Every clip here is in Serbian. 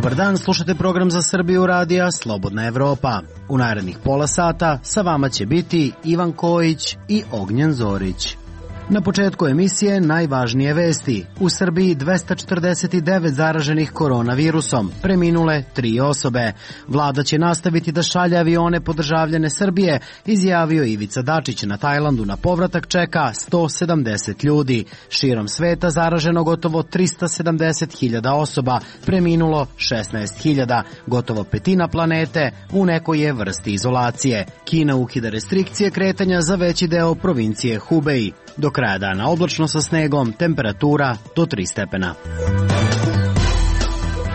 Dobar dan, slušate program za Srbiju radija Slobodna Evropa. U narednih pola sata sa vama će biti Ivan Kojić i Ognjen Zorić. Na početku emisije najvažnije vesti. U Srbiji 249 zaraženih koronavirusom, preminule 3 osobe. Vlada će nastaviti da šalje avione po državljane Srbije, izjavio Ivica Dačić. Na Tajlandu na povratak čeka 170 ljudi. Širom sveta zaraženo gotovo 370.000 osoba, preminulo 16.000. Gotovo petina planete u nekoj je vrsti izolacije. Kina ukida restrikcije kretanja za veći deo provincije Hubei. Do kraja dana oblačno sa snegom, temperatura do 3 stepena.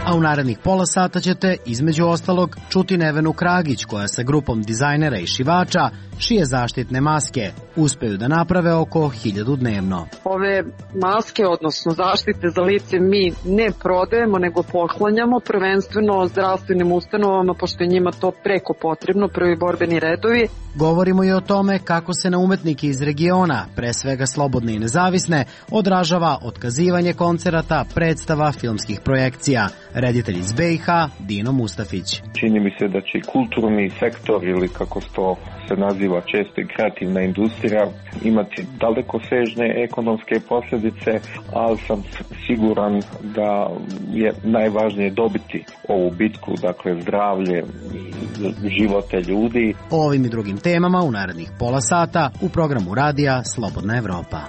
A u narednih pola sata ćete, između ostalog, čuti Nevenu Kragić, koja sa grupom dizajnera i šivača šije zaštitne maske. Uspeju da naprave oko 1000 dnevno. Ove maske, odnosno zaštite za lice, mi ne prodajemo, nego poklanjamo, prvenstveno zdravstvenim ustanovama, pošto je njima to preko potrebno, prvi borbeni redovi. Govorimo i o tome kako se na umetnike iz regiona, pre svega slobodne i nezavisne, odražava otkazivanje koncerata, predstava, filmskih projekcija. Reditelj iz BiH, Dino Mustafić. Čini mi se da će kulturni sektor, ili kako to se naziva često i kreativna industrija, imati dalekosežne ekonomske posljedice, ali sam siguran da je najvažnije dobiti ovu bitku, dakle zdravlje i živote ljudi. O ovim i drugim temama u narednih pola sata u programu radija Slobodna Evropa.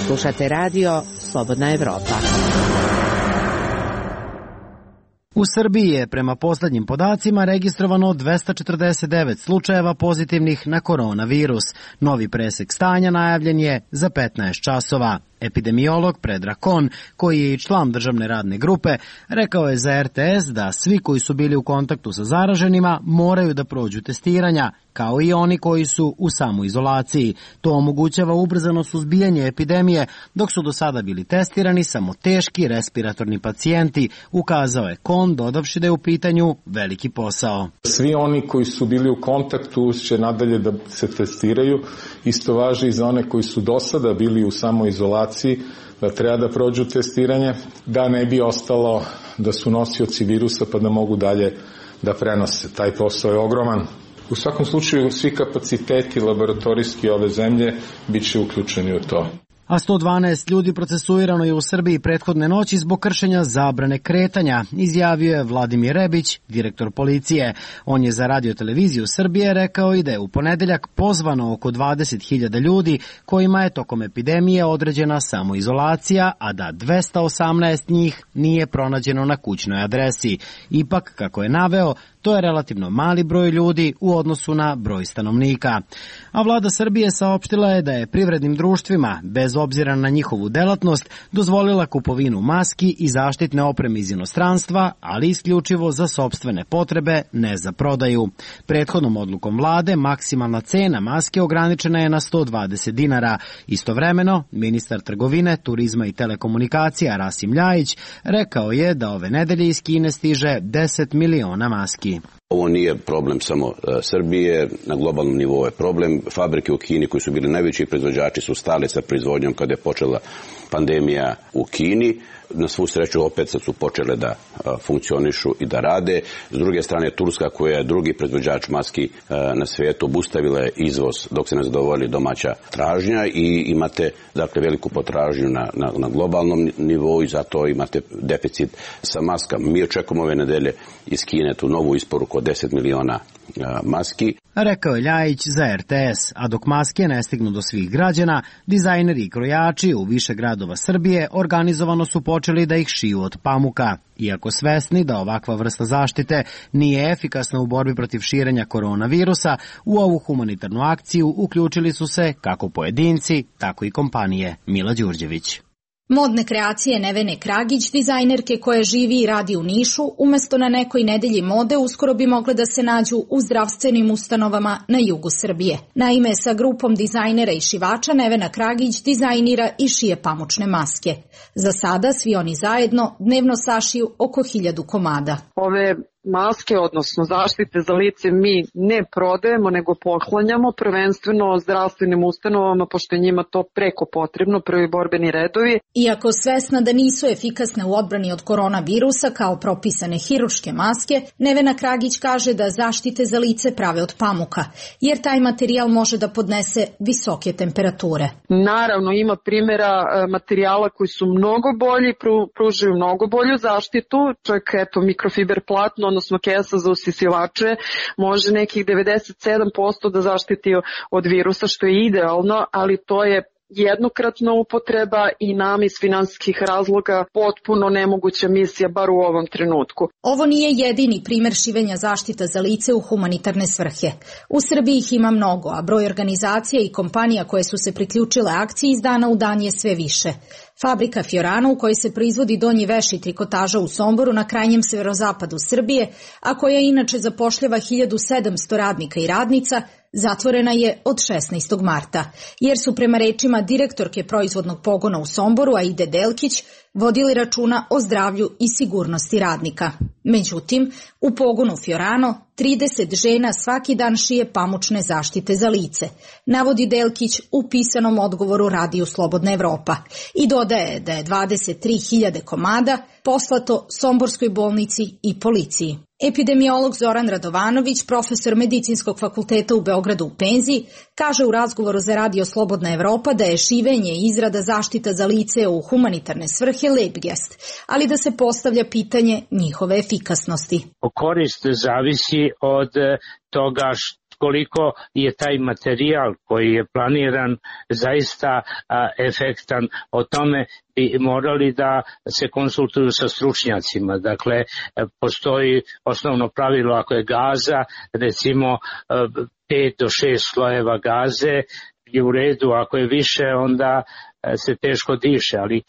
Slušate radio Slobodna Evropa. U Srbiji je prema poslednjim podacima registrovano 249 slučajeva pozitivnih na koronavirus. Novi presek stanja najavljen je za 15 časova. Epidemiolog Predrag Kon, koji je i član državne radne grupe, rekao je za RTS da svi koji su bili u kontaktu sa zaraženima moraju da prođu testiranja, kao i oni koji su u samoizolaciji. To omogućava ubrzano suzbijanje epidemije, dok su do sada bili testirani samo teški respiratorni pacijenti, ukazao je Kon, dodavši da je u pitanju veliki posao. Svi oni koji su bili u kontaktu će nadalje da se testiraju. Isto važi i za one koji su do sada bili u samoizolaciji, da treba da prođu testiranje, da ne bi ostalo da su nosioci virusa pa da mogu dalje da prenose. Taj posao je ogroman. U svakom slučaju svi kapaciteti laboratorijski ove zemlje bit će uključeni u to. A 112 ljudi procesuirano je u Srbiji prethodne noći zbog kršenja zabrane kretanja, izjavio je Vladimir Rebić, direktor policije. On je za Radio-televiziju Srbije rekao i da je u ponedeljak pozvano oko 20.000 ljudi kojima je tokom epidemije određena samoizolacija, a da 218 njih nije pronađeno na kućnoj adresi. Ipak, kako je naveo, to je relativno mali broj ljudi u odnosu na broj stanovnika. A vlada Srbije saopštila je da je privrednim društvima, bez obzira na njihovu delatnost, dozvolila kupovinu maski i zaštitne opreme iz inostranstva, ali isključivo za sopstvene potrebe, ne za prodaju. Prethodnom odlukom vlade maksimalna cena maske ograničena je na 120 dinara. Istovremeno, ministar trgovine, turizma i telekomunikacija Rasim Ljajić rekao je da ove nedelje iz Kine stiže 10 miliona maski. Ovo nije problem samo Srbije, na globalnom nivou je problem. Fabrike u Kini koji su bili najveći proizvođači su stale sa proizvodnjom kada je počela pandemija u Kini. Na svu sreću opet sad su počele da funkcionišu i da rade. S druge strane, Turska, koja je drugi proizvođač maski na svijetu, obustavila je izvoz dok se ne zadovolji domaća tražnja i imate dakle veliku potražnju na globalnom nivou i zato imate deficit sa maskama. Mi očekujemo ove nedelje iz Kine tu novu isporuku od 10 miliona maski. Rekao je Ljajić za RTS, a dok maske ne stignu do svih građana, dizajneri i krojači u više gradova Srbije organizovano su počeli da ih šiju od pamuka. Iako svesni da ovakva vrsta zaštite nije efikasna u borbi protiv širenja koronavirusa, u ovu humanitarnu akciju uključili su se kako pojedinci, tako i kompanije. Mila Đurđević. Modne kreacije Nevene Kragić, dizajnerke koja živi i radi u Nišu, umesto na nekoj nedelji mode uskoro bi mogle da se nađu u zdravstvenim ustanovama na jugu Srbije. Naime, sa grupom dizajnera i šivača Nevena Kragić dizajnira i šije pamučne maske. Za sada svi oni zajedno dnevno sašiju oko 1000 komada. Ove maske, odnosno zaštite za lice, mi ne prodajemo, nego poklanjamo, prvenstveno zdravstvenim ustanovama, pošto je njima to preko potrebno, prvi borbeni redovi. Iako svesna da nisu efikasne u odbrani od koronavirusa kao propisane hirurške maske, Nevena Kragić kaže da zaštite za lice prave od pamuka, jer taj materijal može da podnese visoke temperature. Naravno, ima primjera materijala koji su mnogo bolji, pružaju mnogo bolju zaštitu, čak eto mikrofiber platno, odnosno kesa za usisivače, može nekih 97% da zaštiti od virusa, što je idealno, ali to je jednokratna upotreba i nam iz finansijskih razloga potpuno nemoguća misija, bar u ovom trenutku. Ovo nije jedini primer šivenja zaštita za lice u humanitarne svrhe. U Srbiji ih ima mnogo, a broj organizacija i kompanija koje su se priključile akciji iz dana u dan je sve više. Fabrika Fiorano, u kojoj se proizvodi donji veš i trikotaža u Somboru na krajnjem severozapadu Srbije, a koja inače zapošljava 1700 radnika i radnica, zatvorena je od 16. marta, jer su prema rečima direktorke proizvodnog pogona u Somboru, Aide Delkić, vodili računa o zdravlju i sigurnosti radnika. Međutim, u pogonu Fiorano 30 žena svaki dan šije pamučne zaštite za lice, navodi Delkić u pisanom odgovoru Radiju Slobodna Evropa i dodaje da je 23.000 komada poslato Somborskoj bolnici i policiji. Epidemiolog Zoran Radovanović, profesor Medicinskog fakulteta u Beogradu u penziji, kaže u razgovoru za Radio Slobodna Evropa da je šivenje i izrada zaštita za lice u humanitarne svrhe lep gest, ali da se postavlja pitanje njihove efikasnosti. Korist zavisi od toga koliko je taj materijal koji je planiran zaista efektan. O tome bi morali da se konsultuju sa stručnjacima. Dakle, postoji osnovno pravilo ako je gaza, recimo 5 do 6 slojeva gaze je u redu, ako je više onda se teško diše, ali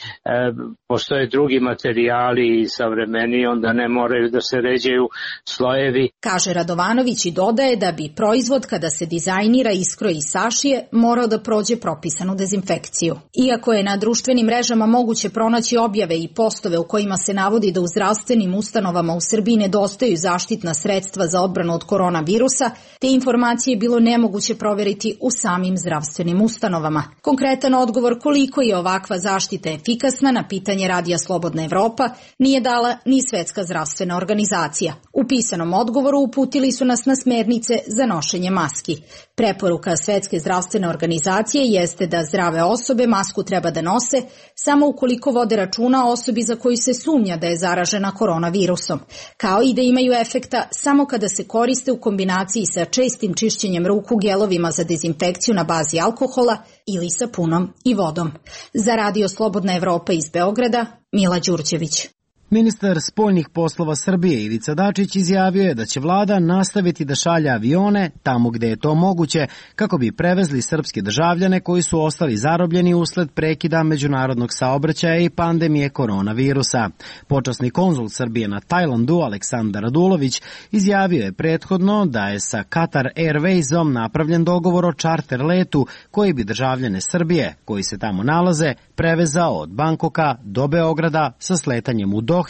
postoje drugi materijali i savremeniji, onda ne moraju da se ređaju slojevi. Kaže Radovanović i dodaje da bi proizvod kada se dizajnira, iskroji i sašije morao da prođe propisanu dezinfekciju. Iako je na društvenim mrežama moguće pronaći objave i postove u kojima se navodi da u zdravstvenim ustanovama u Srbiji nedostaju zaštitna sredstva za odbranu od koronavirusa, te informacije je bilo nemoguće proveriti u samim zdravstvenim ustanovama. Konkretan odgovor koliko je ovakva zaštita efikasna na pitanje Radija Slobodna Evropa nije dala ni Svetska zdravstvena organizacija. U pisanom odgovoru uputili su nas na smernice za nošenje maski. Preporuka Svetske zdravstvene organizacije jeste da zdrave osobe masku treba da nose samo ukoliko vode računa o osobi za koju se sumnja da je zaražena koronavirusom, kao i da imaju efekta samo kada se koriste u kombinaciji sa čestim čišćenjem ruku gelovima za dezinfekciju na bazi alkohola ili sapunom i vodom. Za Radio Slobodna Evropa iz Beograda, Mila Đurđević. Ministar spoljnih poslova Srbije Ivica Dačić izjavio je da će vlada nastaviti da šalje avione tamo gde je to moguće kako bi prevezli srpske državljane koji su ostali zarobljeni usled prekida međunarodnog saobraćaja i pandemije koronavirusa. Počasni konzul Srbije na Tajlandu Aleksandar Radulović izjavio je prethodno da je sa Qatar Airwaysom napravljen dogovor o čarter letu koji bi državljane Srbije koji se tamo nalaze prevezao od Bankoka do Beograda sa sletanjem u Dohi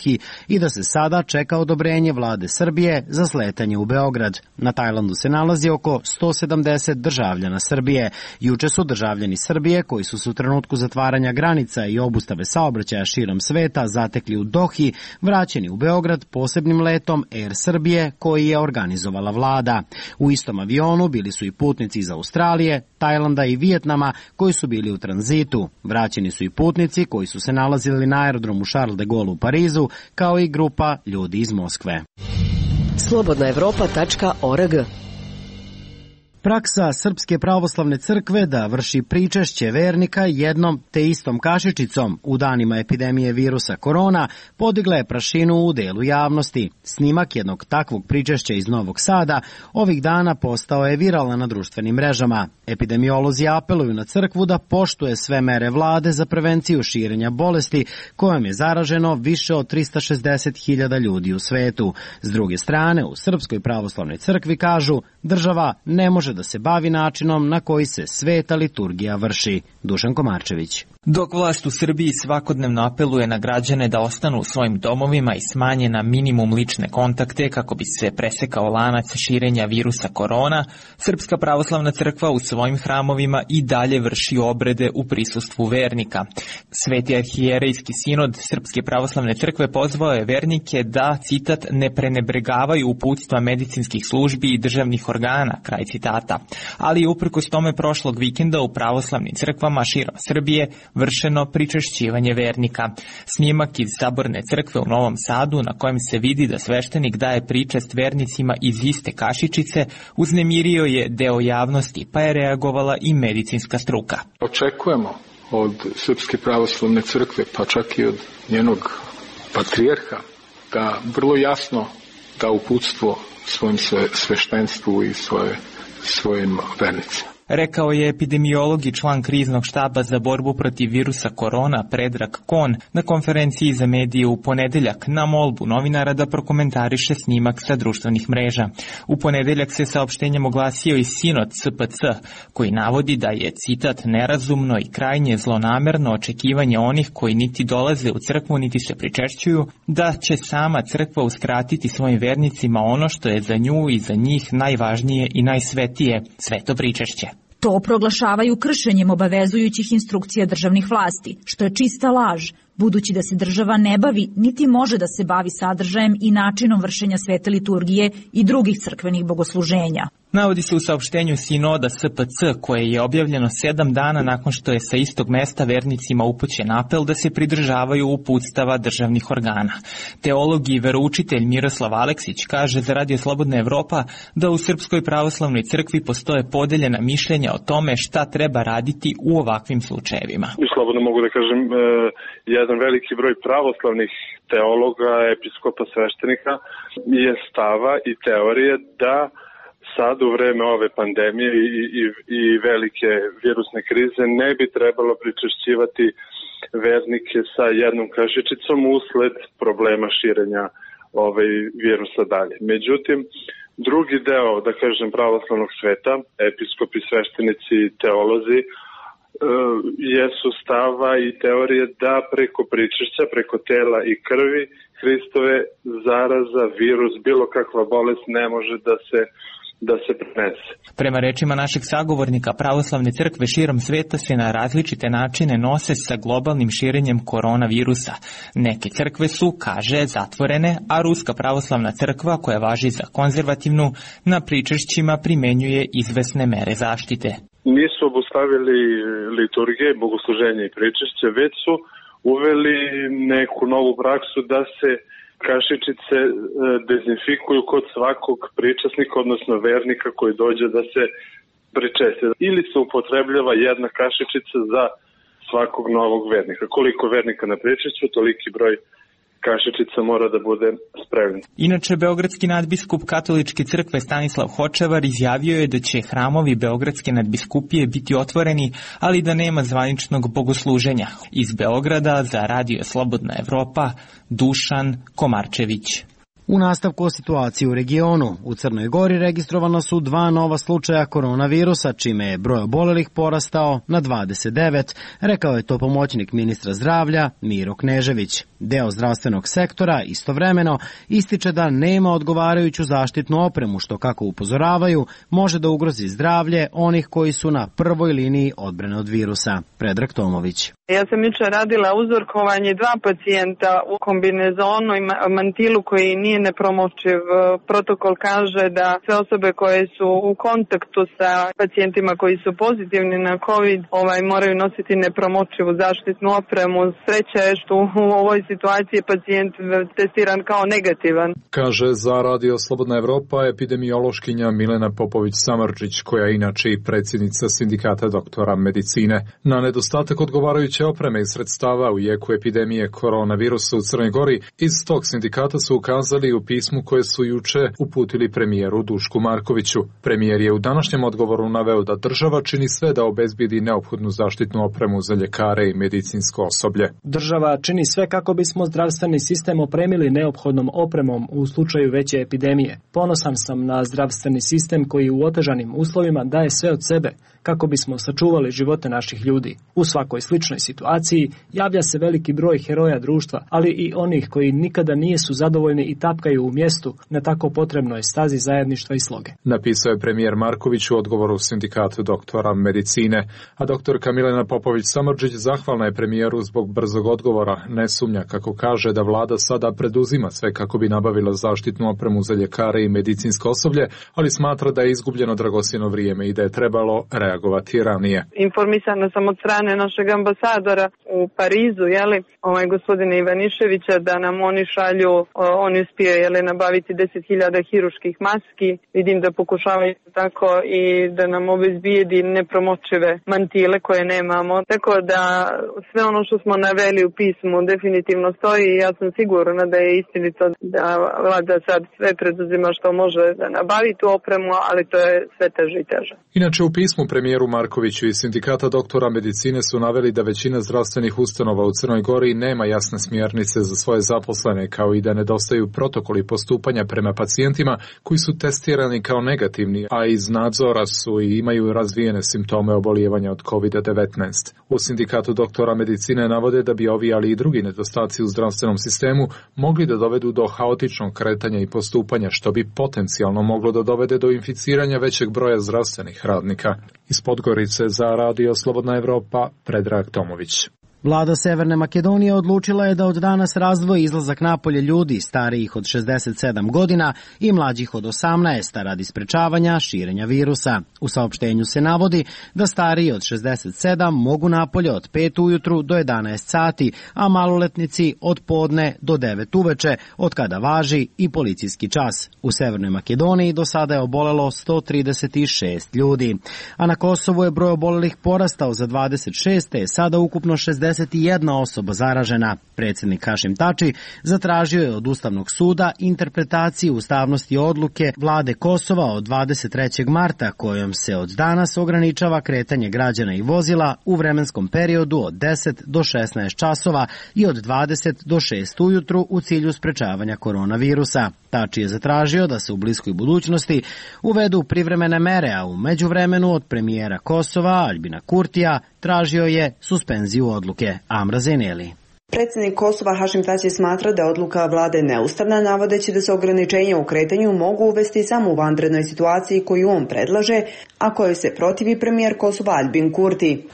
i da se sada čeka odobrenje vlade Srbije za sletanje u Beograd. Na Tajlandu se nalazi oko 170 državljana Srbije. Juče su državljani Srbije koji su se u trenutku zatvaranja granica i obustave saobraćaja širom sveta zatekli u Dohi, vraćeni u Beograd posebnim letom Air Srbije koji je organizovala vlada. U istom avionu bili su i putnici iz Australije, Tajlanda i Vijetnama koji su bili u tranzitu. Vraćeni su i putnici koji su se nalazili na aerodromu Charles de Gaulle u Parizu, kao i grupa ljudi iz Moskve. slobodnaevropa.org. Praksa Srpske pravoslavne crkve da vrši pričešće vernika jednom te istom kašičicom u danima epidemije virusa korona podigla je prašinu u delu javnosti. Snimak jednog takvog pričešća iz Novog Sada ovih dana postao je viralan na društvenim mrežama. Epidemiolozi apeluju na crkvu da poštuje sve mere vlade za prevenciju širenja bolesti kojom je zaraženo više od 360.000 ljudi u svetu. S druge strane, u Srpskoj pravoslavnoj crkvi kažu država ne može da se bavi načinom na koji se sveta liturgija vrši. Dušan Komarčević. Dok vlast u Srbiji svakodnevno apeluje na građane da ostanu u svojim domovima i smanje na minimum lične kontakte kako bi se presekao lanac širenja virusa korona, Srpska pravoslavna crkva u svojim hramovima i dalje vrši obrede u prisustvu vernika. Sveti arhijerejski sinod Srpske pravoslavne crkve pozvao je vernike da, citat, ne prenebregavaju uputstva medicinskih službi i državnih organa, kraj citata. Ali uprkos tome prošlog vikenda u pravoslavnim crkvama širom Srbije vršeno pričešćivanje vernika. Snimak iz Saborne crkve u Novom Sadu, na kojem se vidi da sveštenik daje pričest vernicima iz iste kašičice, uznemirio je deo javnosti, pa je reagovala i medicinska struka. Očekujemo od Srpske pravoslavne crkve, pa čak i od njenog patrijarha, da vrlo jasno da uputstvo svojim sveštenstvu i svojim vernicima. Rekao je epidemiolog i član kriznog štaba za borbu protiv virusa korona Predrag Kon na konferenciji za medije u ponedeljak na molbu novinara da prokomentariše snimak sa društvenih mreža. U ponedeljak se saopštenjem oglasio i sinod SPC, koji navodi da je, citat, nerazumno i krajnje zlonamerno očekivanje onih koji niti dolaze u crkvu niti se pričešćuju, da će sama crkva uskratiti svojim vernicima ono što je za nju i za njih najvažnije i najsvetije, sveto pričešće. To proglašavaju kršenjem obavezujućih instrukcija državnih vlasti, što je čista laž, budući da se država ne bavi niti može da se bavi sadržajem i načinom vršenja svete liturgije i drugih crkvenih bogosluženja. Navodi se u saopštenju sinoda SPC, koje je objavljeno 7 dana nakon što je sa istog mesta vernicima upućen apel da se pridržavaju uputstava državnih organa. Teolog i veroučitelj Miroslav Aleksić kaže za Radio Slobodna Evropa da u Srpskoj pravoslavnoj crkvi postoje podeljena mišljenja o tome šta treba raditi u ovakvim slučajevima. Slobodno mogu da kažem, jedan veliki broj pravoslavnih teologa, episkopa, sveštenika je stava i teorije da sad u vreme ove pandemije i velike virusne krize ne bi trebalo pričešćivati vernike sa jednom kašičicom usled problema širenja virusa dalje. Međutim, drugi deo, da kažem, pravoslavnog sveta, episkopi, sveštenici i teolozi, jesu stava i teorije da preko pričešća, preko tela i krvi Hristove zaraza, virus, bilo kakva bolest ne može da se prenese. Prema rečima našeg sagovornika, pravoslavne crkve širom sveta se na različite načine nose sa globalnim širenjem koronavirusa. Neke crkve su, kaže, zatvorene, a Ruska pravoslavna crkva, koja važi za konzervativnu, na pričešćima primenjuje izvesne mere zaštite. Nisu obustavili liturgije, bogosluženje i pričešće, već su uveli neku novu praksu da se kašičice dezinfikuju kod svakog pričasnika, odnosno vernika koji dođe da se pričesti. Ili se upotrebljava jedna kašičica za svakog novog vernika. Koliko vernika na pričešću, toliki broj kašičica mora da bude spremljen. Inače, beogradski nadbiskup Katoličke crkve Stanislav Hočevar izjavio je da će hramovi Beogradske nadbiskupije biti otvoreni, ali da nema zvaničnog bogosluženja. Iz Beograda za Radio Slobodna Evropa, Dušan Komarčević. U nastavku o situaciji u regionu, u Crnoj Gori registrovano su 2 nova slučaja koronavirusa, čime je broj obolelih porastao na 29, rekao je to pomoćnik ministra zdravlja Miro Knežević. Deo zdravstvenog sektora istovremeno ističe da nema odgovarajuću zaštitnu opremu, što, kako upozoravaju, može da ugrozi zdravlje onih koji su na prvoj liniji odbrane od virusa. Predrag Tomović. Ja sam jučer radila uzorkovanje 2 pacijenta u kombinezonu i mantilu koji nije nepromočiv. Protokol kaže da sve osobe koje su u kontaktu sa pacijentima koji su pozitivni na COVID moraju nositi nepromočivu zaštitnu opremu. Sreća je što u ovoj situaciji pacijent testiran kao negativan. Kaže za Radio Slobodna Evropa epidemiološkinja Milena Popović-Samardžić, koja je inače i predsjednica Sindikata doktora medicine. Na nedostatak odgovarajuće opreme i sredstava u jeku epidemije koronavirusa u Crnoj Gori, iz tog sindikata su ukazali u pismu koje su juče uputili premijeru Dušku Markoviću. Premijer je u današnjem odgovoru naveo da država čini sve da obezbedi neophodnu zaštitnu opremu za ljekare i medicinsko osoblje. Država čini sve kako bismo zdravstveni sistem opremili neophodnom opremom u slučaju veće epidemije. Ponosan sam na zdravstveni sistem koji u otežanim uslovima daje sve od sebe kako bismo sačuvali živote naših ljudi. U svakoj sličnoj situaciji javlja se veliki broj heroja društva, ali i onih koji nikada nisu zadovoljni i tapkaju u mjestu na tako potrebnoj stazi zajedništva i sloge. Napisao je premijer Marković u odgovoru Sindikatu doktora medicine, a doktorka Milena Popović-Samardžić zahvalna je premijeru zbog brzog odgovora. Ne sumnja, kako kaže, da vlada sada preduzima sve kako bi nabavila zaštitnu opremu za ljekare i medicinsko osoblje, ali smatra da je izgubljeno dragocjeno vrijeme i da je trebalo reagovati ranije. Informisana sam od strane našeg ambasadora u Parizu, gospodina Ivaniševića, da nam oni šalju, oni uspije nabaviti 10.000 hiruških maski. Vidim da pokušavaju tako i da nam obezbijedi nepromočive mantile koje nemamo. Tako da sve ono što smo naveli u pismu definitivno stoji i ja sam sigurna da je istinito da vlada sad sve preduzima što može da nabavi tu opremu, ali to je sve teže i teže. Inače, u pismu premijeru Markoviću i Sindikata doktora medicine su naveli da većina zdravstvenih ustanova u Crnoj Gori nema jasne smjernice za svoje zaposlene, kao i da nedostaju protokoli postupanja prema pacijentima koji su testirani kao negativni, a iz nadzora su i imaju razvijene simptome obolijevanja od COVID-19. U Sindikatu doktora medicine navode da bi ovi, ali i drugi nedostaci u zdravstvenom sistemu mogli da dovedu do haotičnog kretanja i postupanja, što bi potencijalno moglo da dovede do inficiranja većeg broja zdravstvenih radnika. Iz Podgorice za Radio Slobodna Evropa, Predrag Tomović. Vlada Severne Makedonije odlučila je da od danas razdvoji izlazak napolje ljudi starijih od 67 godina i mlađih od 18 radi sprečavanja širenja virusa. U saopštenju se navodi da stariji od 67 mogu napolje od 5 ujutru do 11 sati, a maloletnici od podne do 9 uveče, od kada važi i policijski čas. U Severnoj Makedoniji do sada je obolelo 136 ljudi, a na Kosovu je broj obolelih porastao za 26, te je sada ukupno 61 osoba zaražena. Predsjednik Hašim Tači zatražio je od Ustavnog suda interpretaciju ustavnosti odluke vlade Kosova od 23. marta kojom se od danas ograničava kretanje građana i vozila u vremenskom periodu od 10 do 16 časova i od 20 do 6 ujutru u cilju sprečavanja koronavirusa. Tači je zatražio da se u bliskoj budućnosti uvedu privremene mere, a u međuvremenu od premijera Kosova Aljbina Kurtija tražio je suspenziju odluke. Amra Zeneli. Predsjednik Kosova Hašim Tači smatra da je odluka vlade neustavna, navodeći da se ograničenja u kretanju mogu uvesti samo u vanrednoj situaciji koju on predlaže, a kojoj se protivi premijer Kosova Aljbin Kurti.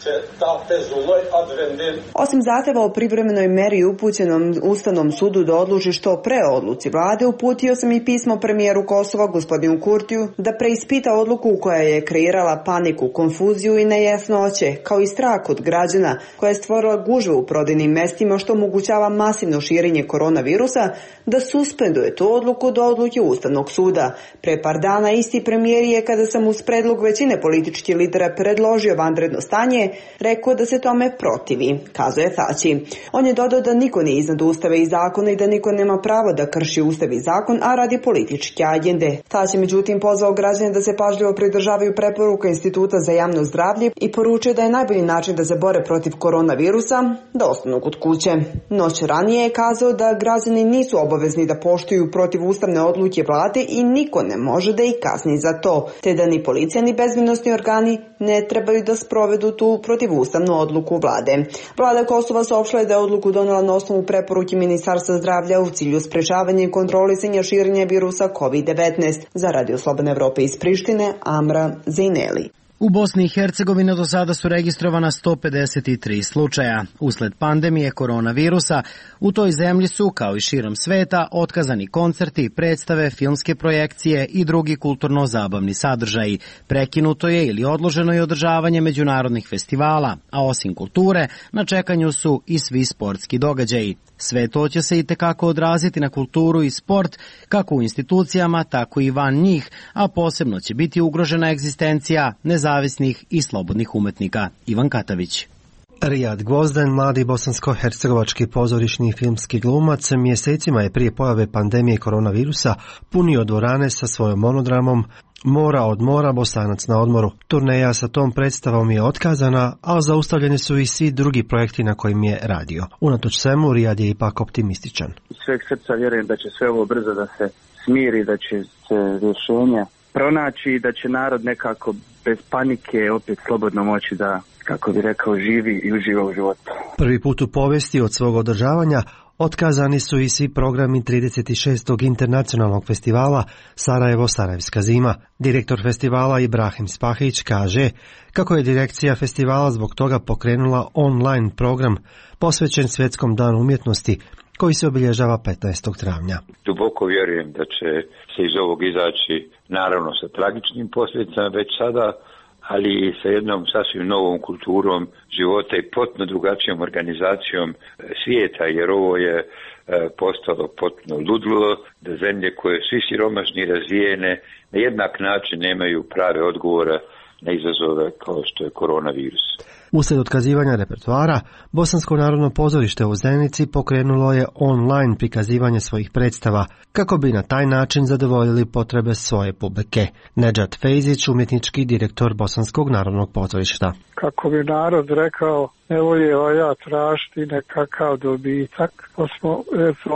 Osim zahtjeva o privremenoj meri upućenom Ustavnom sudu da odluči što pre odluci vlade, uputio sam i pismo premijeru Kosova gospodinu Kurtiju da preispita odluku koja je kreirala paniku, konfuziju i nejasnoće, kao i strah od građana, koja je stvorila gužve u prodajnim mestima što omogućava masivno širenje koronavirusa, da suspenduje tu odluku do odluke Ustavnog suda. Pre par dana isti premijer je, kada sam uz predlog većine političkih lidera predložio vanredno stanje, rekao da se tome protivi, kazuje Tači. On je dodao da niko nije iznad Ustava i zakona i da niko nema pravo da krši Ustav i zakon, a radi političke agende. Tači međutim pozvao građane da se pažljivo pridržavaju preporuka Instituta za javno zdravlje i poručio da je najbolji način da se bore protiv koronavirusa da ostanu kod kuće. Noć ranije je kazao da građani nisu obavezni da poštuju protivustavne odluke vlade i niko ne može da ih kazni za to, te da ni policija ni bezbednosni organi ne trebaju da sprovedu tu protivustavnu odluku vlade. Vlada Kosova saopštila je da je odluku donela na osnovu preporuke Ministarstva zdravlja u cilju sprečavanja i kontrolisanja širenja virusa COVID-19. Za Radio Slobodne Evrope iz Prištine, Amra Zejneli. U Bosni i Hercegovini do sada su registrovana 153 slučaja. Usled pandemije koronavirusa u toj zemlji su, kao i širom sveta, otkazani koncerti, predstave, filmske projekcije i drugi kulturno-zabavni sadržaji. Prekinuto je ili odloženo je održavanje međunarodnih festivala, a osim kulture, na čekanju su i svi sportski događaji. Sve to će se i tekako odraziti na kulturu i sport, kako u institucijama, tako i van njih, a posebno će biti ugrožena egzistencija nezavisnih i slobodnih umetnika. Ivan Katavić. Rijad Gvozden, mladi bosansko-hercegovački pozorišni filmski glumac, mjesecima je prije pojave pandemije koronavirusa punio dvorane sa svojom monodramom Mora od mora, Bosanac na odmoru. Turneja sa tom predstavom je otkazana, a zaustavljeni su i svi drugi projekti na kojim je radio. Unatoč svemu, Rijad je ipak optimističan. Sveg srca vjerujem da će sve ovo brzo da se smiri, da će se rješenja pronaći i da će narod nekako bez panike opet slobodno moći da, kako bi rekao, živi i uživa u životu. Prvi put u povijesti od svog održavanja otkazani su i svi programi 36. internacionalnog festivala Sarajevo-Sarajevska zima. Direktor festivala Ibrahim Spahić kaže kako je direkcija festivala zbog toga pokrenula online program posvećen Svjetskom danu umjetnosti koji se obilježava 15. travnja. Duboko vjerujem da će se iz ovog izaći naravno sa tragičnim posljedicama već sada, ali i sa jednom sasvim novom kulturom života i potpuno drugačijom organizacijom svijeta, jer ovo je postalo potpuno ludilo da zemlje koje svi siromašni i razvijene na jednak način nemaju prave odgovore na izazove kao što je koronavirus. Uslijed otkazivanja repertoara, Bosansko narodno pozorište u Zenici pokrenulo je online prikazivanje svojih predstava, kako bi na taj način zadovoljili potrebe svoje publike. Nedžad Fejzić, umjetnički direktor Bosanskog narodnog pozorišta. Kako bi narod rekao, ne volje valja tražiti nekakav dobitak, pa smo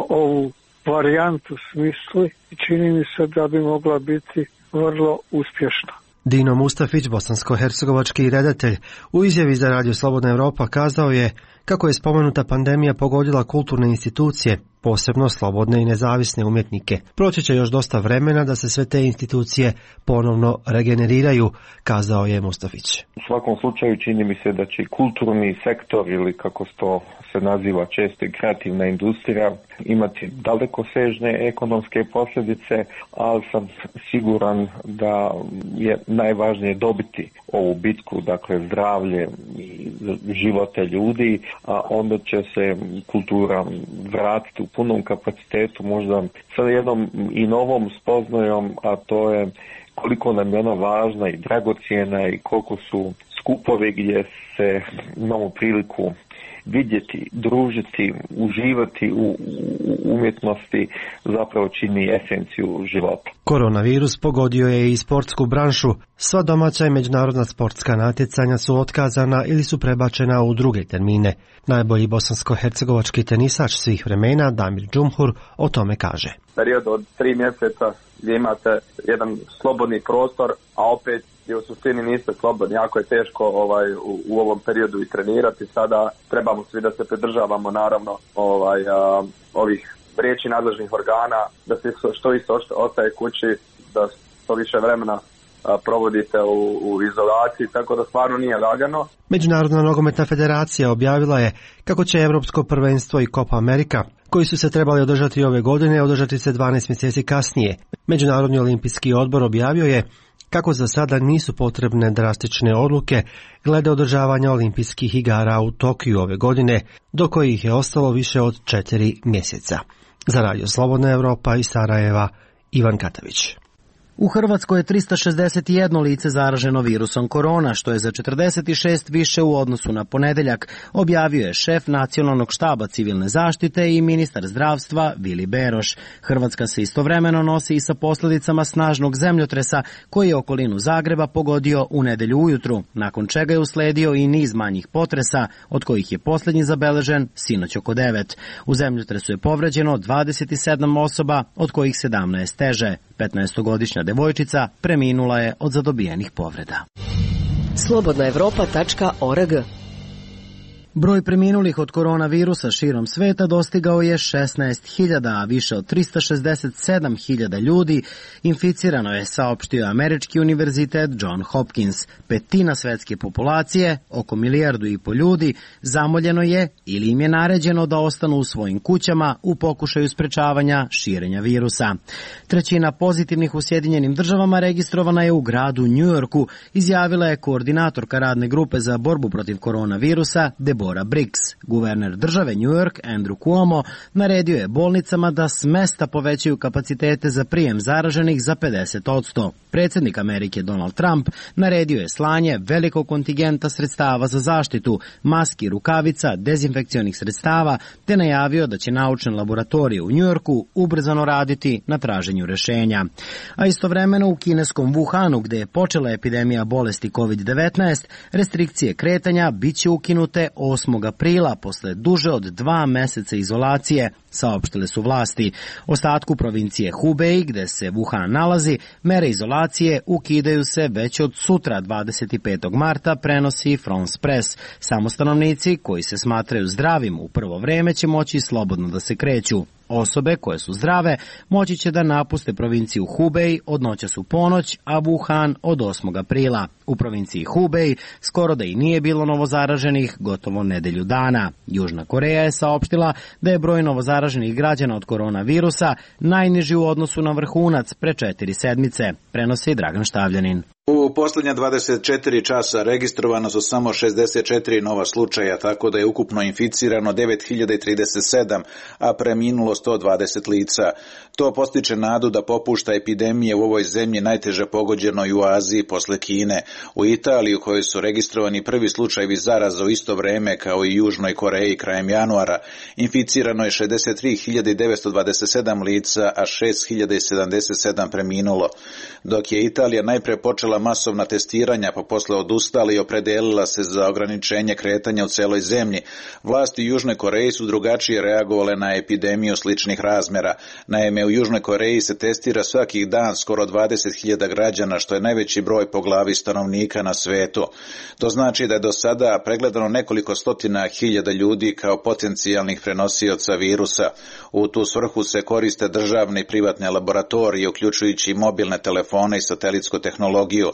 ovu varijantu smisli i čini mi se da bi mogla biti vrlo uspješna. Dino Mustafić, bosansko-hercegovački redatelj, u izjavi za Radio Slobodna Evropa kazao je kako je spomenuta pandemija pogodila kulturne institucije, posebno slobodne i nezavisne umjetnike. Proći će još dosta vremena da se sve te institucije ponovno regeneriraju, kazao je Mustafić. U svakom slučaju čini mi se da će kulturni sektor, ili kako to se naziva često i kreativna industrija, imati dalekosežne ekonomske posljedice, ali sam siguran da je najvažnije dobiti ovu bitku, dakle zdravlje i živote ljudi, a onda će se kultura vratiti u punom kapacitetu, možda sa jednom i novom spoznajom, a to je koliko nam je ona važna i dragocjena i koliko su skupovi gdje se imamo priliku vidjeti, družiti, uživati u umjetnosti zapravo čini esenciju života. Koronavirus pogodio je i sportsku branšu. Sva domaća i međunarodna sportska natjecanja su otkazana ili su prebačena u druge termine. Najbolji bosansko-hercegovački tenisač svih vremena, Damir Džumhur, o tome kaže. Period od 3 mjeseca gdje imate jedan slobodni prostor, a opet i u suštini niste slobodni. Jako je teško u ovom periodu i trenirati. Sada trebamo svi da se pridržavamo naravno ovih riječi nadležnih organa, da se što više ostaje kući, da što više vremena provodite u izolaciji, tako da stvarno nije lagano. Međunarodna nogometna federacija objavila je kako će Evropsko prvenstvo i Copa America, koji su se trebali održati ove godine, održati se 12 mjeseci kasnije. Međunarodni olimpijski odbor objavio je kako za sada nisu potrebne drastične odluke glede održavanja olimpijskih igara u Tokiju ove godine, do kojih je ostalo više od 4 mjeseca. Za Radio Slobodna Evropa iz Sarajeva, Ivan Katavić. U Hrvatskoj je 361 lice zaraženo virusom korona, što je za 46 više u odnosu na ponedeljak, objavio je šef Nacionalnog štaba civilne zaštite i ministar zdravstva Vili Beroš. Hrvatska se istovremeno nosi i sa posljedicama snažnog zemljotresa koji je okolinu Zagreba pogodio u nedelju ujutru, nakon čega je usledio i niz manjih potresa, od kojih je posljednji zabeležen sinoć oko 9. U zemljotresu je povređeno 27 osoba, od kojih 17 teže. 15-godišnja devojčica preminula je od zadobijenih povreda. Slobodnaevropa.org. Broj preminulih od koronavirusa širom sveta dostigao je 16.000, a više od 367.000 ljudi inficirano je, saopštio Američki univerzitet John Hopkins. Petina svetske populacije, oko 1,5 milijardu ljudi, zamoljeno je ili im je naređeno da ostanu u svojim kućama u pokušaju sprečavanja širenja virusa. 1/3 pozitivnih u Sjedinjenim državama registrovana je u gradu New Yorku, izjavila je koordinatorka radne grupe za borbu protiv koronavirusa Deborah Briggs. Guverner države New York, Andrew Cuomo, naredio je bolnicama da s mesta povećaju kapacitete za prijem zaraženih za 50%. Predsjednik Amerike Donald Trump naredio je slanje velikog kontingenta sredstava za zaštitu, maski, rukavica, dezinfekcionih sredstava, te najavio da će naučne laboratorije u New Yorku ubrzano raditi na traženju rješenja. A istovremeno u kineskom Wuhanu, gdje je počela epidemija bolesti COVID-19, restrikcije kretanja bit će ukinute 8. aprila posle duže od 2 meseca izolacije, saopštile su vlasti. Ostatku provincije Hubei, gde se Wuhan nalazi, mere izolacije ukidaju se već od sutra 25. marta, prenosi France Press. Samo stanovnici koji se smatraju zdravim u prvo vreme će moći slobodno da se kreću. Osobe koje su zdrave moći će da napuste provinciju Hubei od noćas u ponoć, a Wuhan od 8. aprila. U provinciji Hubei skoro da i nije bilo novozaraženih gotovo nedelju dana. Južna Koreja je saopštila da je broj novozaraženih građana od koronavirusa najniži u odnosu na vrhunac pre 4 sedmice, prenosi Dragan Štavljanin. U posljednja 24 časa registrovano su samo 64 nova slučaja, tako da je ukupno inficirano 9037, a preminulo 120 lica. To postiče nadu da popušta epidemije u ovoj zemlji najteže pogođenoj u Aziji posle Kine. U Italiji, u kojoj su registrovani prvi slučajevi zaraza u isto vreme kao i Južnoj Koreji krajem januara, inficirano je 63.927 lica, a 6.077 preminulo. Dok je Italija najpre počela masovna testiranja, pa posle odustala i opredelila se za ograničenje kretanja u celoj zemlji, vlasti Južne Koreje su drugačije reagovale na epidemiju sličnih razmera. Naime, u Južnoj Koreji se testira svakih dan skoro 20.000 građana, što je najveći broj po glavi stanovnika na svetu. To znači da je do sada pregledano nekoliko stotina hiljada ljudi kao potencijalnih prenosioca virusa. U tu svrhu se koriste državne i privatne laboratorije, uključujući mobilne telefone i satelitsku tehnologiju.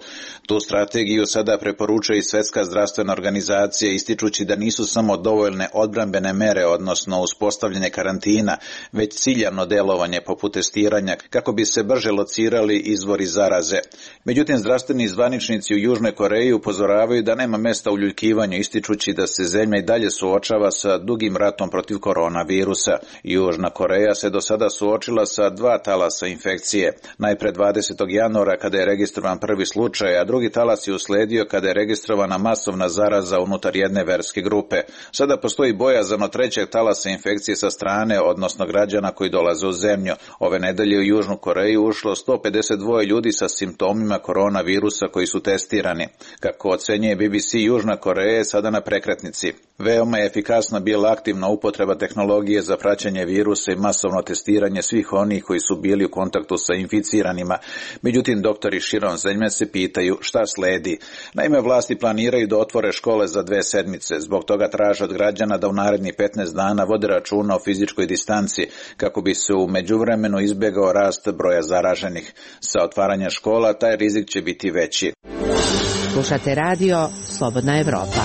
Tu strategiju sada preporučuje i Svetska zdravstvena organizacija, ističući da nisu samo dovoljne odbrambene mere, odnosno uspostavljanje karantina, već ciljano delovanje poput testiranja kako bi se brže locirali izvori zaraze. Međutim, zdravstveni zvaničnici u Južnoj Koreji upozoravaju da nema mesta uljuljivanju, ističući da se zemlja i dalje suočava sa dugim ratom protiv koronavirusa. Južna Koreja se do sada suočila sa 2 talasa infekcije. Najpre 20. januara kada je registrovan prvi slučaj, a drugi talas je usledio kada je registrovana masovna zaraza unutar jedne verske grupe. Sada postoji bojazan od 3. talasa infekcije sa strane, odnosno građana koji dolaze u zemlju. Ove nedelje u Južnu Koreju ušlo 152 ljudi sa simptomima koronavirusa koji su testirani. Kako ocenjuje BBC, Južna Koreja je sada na prekretnici. Veoma je efikasna bila aktivna upotreba tehnologije za praćenje virusa i masovno testiranje svih onih koji su bili u kontaktu sa inficiranima. Međutim, doktori širom zemlje se pitaju šta sledi. Naime, vlasti planiraju da otvore škole za 2 sedmice. Zbog toga traže od građana da u narednih 15 dana vode računa o fizičkoj distanci, kako bi se u međuvremenu izbjegao rast broja zaraženih. Sa otvaranjem škola taj rizik će biti veći. Slušate radio Slobodna Evropa.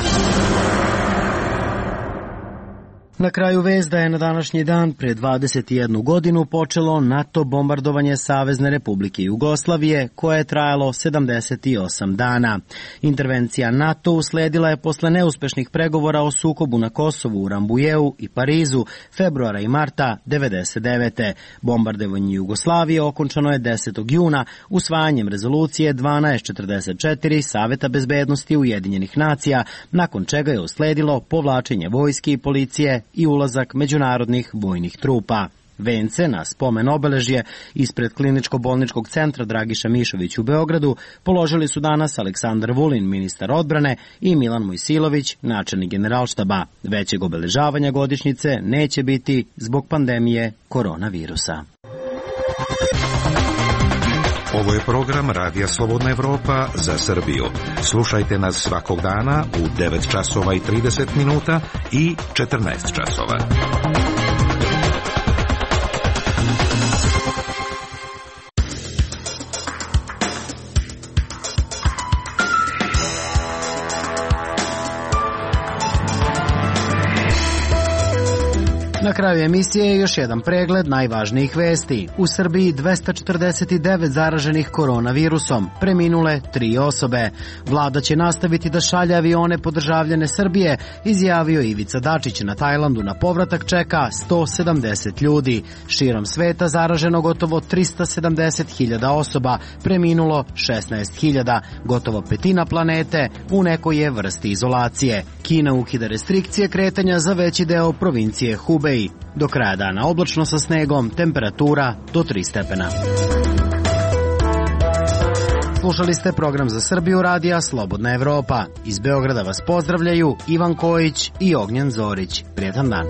Na kraju vest da je na današnji dan pre 21 godinu počelo NATO bombardovanje Savezne Republike Jugoslavije, koje je trajalo 78 dana. Intervencija NATO usledila je posle neuspešnih pregovora o sukobu na Kosovu, u Rambujeu i Parizu februara i marta 1999. Bombardovanje Jugoslavije okončano je 10. juna usvajanjem rezolucije 1244 Saveta bezbednosti Ujedinjenih nacija, nakon čega je usledilo povlačenje vojske i policije i ulazak međunarodnih vojnih trupa. Vence na spomen obeležje ispred kliničko-bolničkog centra Dragiša Mišović u Beogradu položili su danas Aleksandar Vulin, ministar odbrane, i Milan Mojsilović, načelnik Generalštaba. Većeg obeležavanja godišnjice neće biti zbog pandemije koronavirusa. Ovo je program Radija Slobodna Evropa za Srbiju. Slušajte nas svakog dana u 9 časova i 30 minuta i 14 časova. Na kraju emisije još jedan pregled najvažnijih vesti. U Srbiji 249 zaraženih koronavirusom, preminule 3 osobe. Vlada će nastaviti da šalje avione po državljane Srbije, izjavio Ivica Dačić. Na Tajlandu na povratak čeka 170 ljudi. Širom sveta zaraženo gotovo 370.000 osoba, preminulo 16.000. Gotovo petina planete u nekoj je vrsti izolacije. Kina ukida restrikcije kretanja za veći deo provincije Hubei. Do kraja dana oblačno sa snegom, temperatura do 3 stepena. Slušali ste program za Srbiju radija Slobodna Evropa. Iz Beograda vas pozdravljaju Ivan Kojić i Ognjen Zorić. Prijetan dan.